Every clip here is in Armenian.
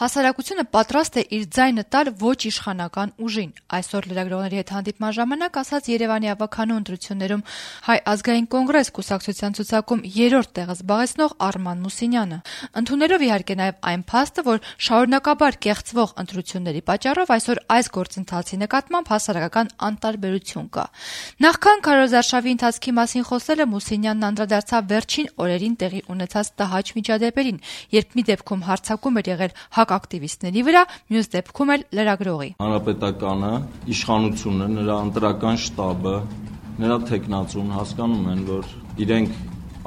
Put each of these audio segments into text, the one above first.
Հասարակությունը պատրաստ է իր ձայնը տալ ոչ իշխանական ուժին։ Այսօր լրագրողների հետ հանդիպման ժամանակ ասաց Երևանի ավականու ընտրություններում Հայ ազգային կոնգրես կուսակցության ցուցակում 3-րդ տեղը զբաղեցնող Արման Մուսինյանը։ Ընդունելով իհարկե նաև այն փաստը, որ շարունակաբար կեղծվող ընտրությունների պատճառով այսօր այս գործընթացի նկատմամբ հասարակական անտարբերություն կա։ Նախքան քարոզարշավի ընթացքի մասին խոսելը Մուսինյանն անդրադարձավ վերջին օրերին տեղի ունեցած տհաճ միջադեպերին, երբ մի դեպքում հարձակում էր եղել ակտիվիստների վրա, մյուս դեպքում էլ լրագրողի։ Հանրապետականը, իշխանությունը, նրա ընտրական շտաբը, նրա թեկնածուն հասկանում են, որ իրենք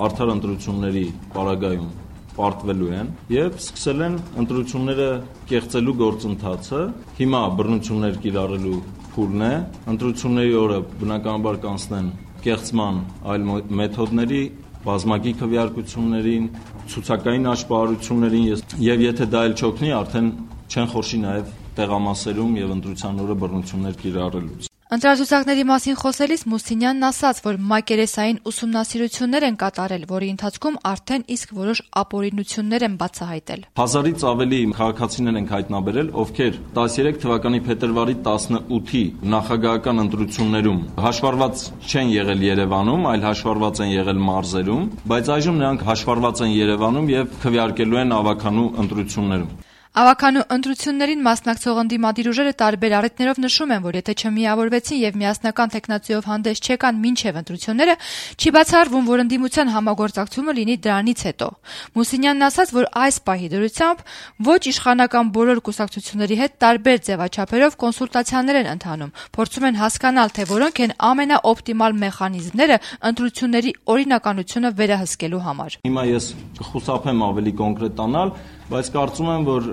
արդար ընտրությունների պարագայում պարտվելու են եւ սկսել են ընտրությունները կեղծելու գործընթացը։ Հիմա բռնություններ կիրառելու փուլն է, ընտրությունների օրը բնականաբար կանցնեն կեղծման այլ մեթոդների, բազմակի քվեարկություններին, ցուցակային աշպարություններին եւ եթե դա էլ չօգնի, արդեն չեն խորշի նաեւ տեղամասերում եւ ընտրության օրը բռնություններ կիրառելուց։ Ընտրացուցակների մասին խոսելիս Մուսինյանն ասաց, որ մակերեսային ուսումնասիրություններ են կատարել, որի ընթացքում արդեն իսկ որոշ ապօրինություններ են բացահայտել։ 1000-ից ավելի քաղաքացիներ ենք հայտնաբերել, ովքեր 13 թվականի փետրվարի 18-ի նախագահական ընտրություններում հաշվառված չեն եղել Երևանում, այլ հաշվառված են եղել մարզերում, բայց այժմ նրանք հաշվառված են Երևանում եւ քվեարկելու են ավականու ընտրություններում։ Ավականու ընտրություններին մասնակցող ընդդիմադիր ուժերը տարբեր առիթներով նշում են, որ եթե չմիավորվեցին եւ միասնական տեխնացիով հանդես չեկան մինչեւ ընտրությունները, չի բացառվում, որ ընդդիմության համագործակցումը լինի դրանից հետո։ Մուսինյանն ասաց, որ այս պահի դրությամբ ոչ իշխանական բոլոր կուսակցությունների հետ տարբեր ձևաչափերով կոնսուլտացիաներ են ընթանում, փորձում են հասկանալ, թե որոնք են ամենաօպտիմալ մեխանիզմները ընտրությունների օրինականությունը վերահսկելու համար։ Հիմա ես կխուսափեմ ավելի կոնկրետանալ, բայց կարծում եմ, որ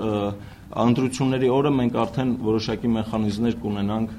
ընտրությունների օրը մենք արդեն որոշակի մեխանիզմներ կունենանք։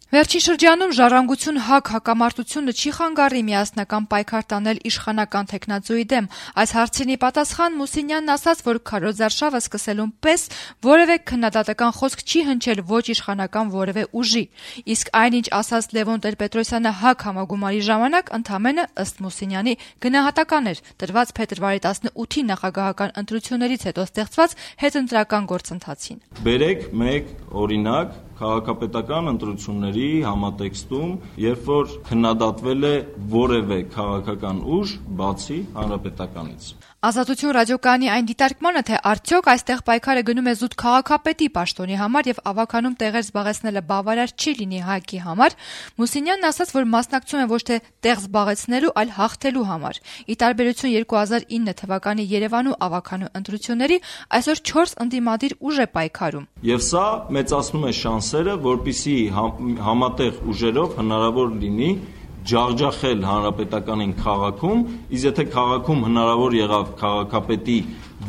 Վերջին շրջանում ժառանգություն հակամարտությունը չի խանգարի միասնական պայքար տանել իշխանական տեխնացուի դեմ։ Այս հարցին ի պատասխան Մուսինյանն ասաց, որ քարոզարշավը սկսելուն պես որևէ քննադատական խոսք չի հնչել ոչ իշխանական որևէ ուժի։ Իսկ այնինչ ասաց Լևոն Տեր-Պետրոսյանը հակ համագումարի ժամանակ ընդամենը ըստ Մուսինյանի գնահատական էր տրված փետրվարի 18-ի նախագահական ընտրություններից հետո ստեղծված հետընտրական գործընթացին։ Բերեք մեկ օրինակ քաղաքապետական ընտրությունների համատեքստում, երբ որ քննադատվել է որևէ քաղաքական ուժ, բացի հանրապետականից։ Ազատություն ռադիոկայանի այն դիտարկմանը, թե արդյոք այստեղ պայքարը գնում է զուտ քաղաքապետի պաշտոնի համար եւ ավականում տեղեր զբաղեցնելը բավարար չի լինի ՀԱԿ-ի համար, Մուսինյանն ասաց, որ մասնակցում է ոչ թե տեղ զբաղեցնելու, այլ հաղթելու համար։ Ի տարբերություն 2009 թվականի Երևանու ավականու ընտրությունների, այսօր 4 ընդդիմադիր ուժ է պայքարում։ Եվ սա մեծացնում է շանսերը, որպեսզի համատեղ ուժերով հնարավոր լինի ջախջախել հանրապետականին քաղաքում, իսկ եթե քաղաքում հնարավոր եղավ քաղաքապետի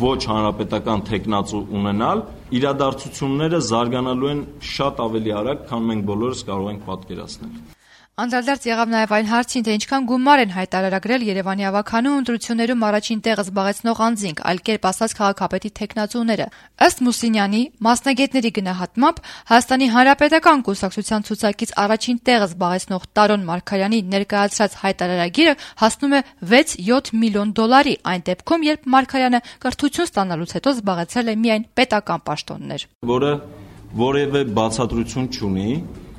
ոչ հանրապետական տեխնացու ունենալ, իրադարձությունները զարգանալու են շատ ավելի արագ, քան մենք բոլորս կարող ենք պատկերացնել։ Անդրադարձ եղավ նաև այն հարցին, թե ինչքան գումար են հայտարարագրել Երևանի ավականու ընտրություններում առաջին տեղը զբաղեցնող անձինք, այլ կերպ ասած քաղաքապետի տեխնացուները։ Ըստ Մուսինյանի, մասնագետների գնահատմամբ Հայաստանի Հանրապետական կուսակցության ցուցակից առաջին տեղը զբաղեցնող Տարոն Մարգարյանի ներկայացրած հայտարարագիրը հասնում է 6-7 միլիոն դոլարի, այն դեպքում, երբ Մարգարյանը կրթություն ստանալուց հետո զբաղեցրել է միայն պետական պաշտոններ, որը որևէ բացատրություն չունի,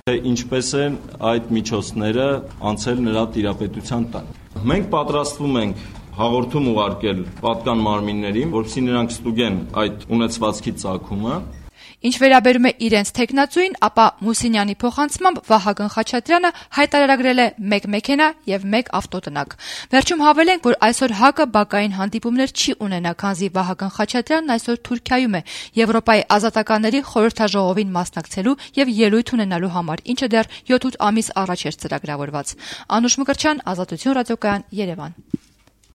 թե ինչպես են այդ միջոցները անցել նրա տիրապետության տակ։ Մենք պատրաստվում ենք հաղորդում ուղարկել պատկան մարմիններին, որպեսզի նրանք ստուգեն այդ ունեցվածքի ծագումը։ Ինչ վերաբերում է իրենց տեխնացուին, ապա Մուսինյանի փոխանցմամբ Վահագն Խաչատրյանը հայտարարագրել է 1 մեքենա եւ 1 ավտոտնակ։ Վերջում հավելենք, որ այսօր ՀԱԿ-ը բակային հանդիպումներ չի ունենա, քանզի Վահագն Խաչատրյանն այսօր Թուրքիայում է Եվրոպայի ազատականների խորհրդաժողովին մասնակցելու եւ ելույթ ունենալու համար, ինչը դեռ 7-8 ամիս առաջ էր ծրագրավորված։ Անուշ Մկրտչյան, Ազատություն ռադիոկայան, Երևան։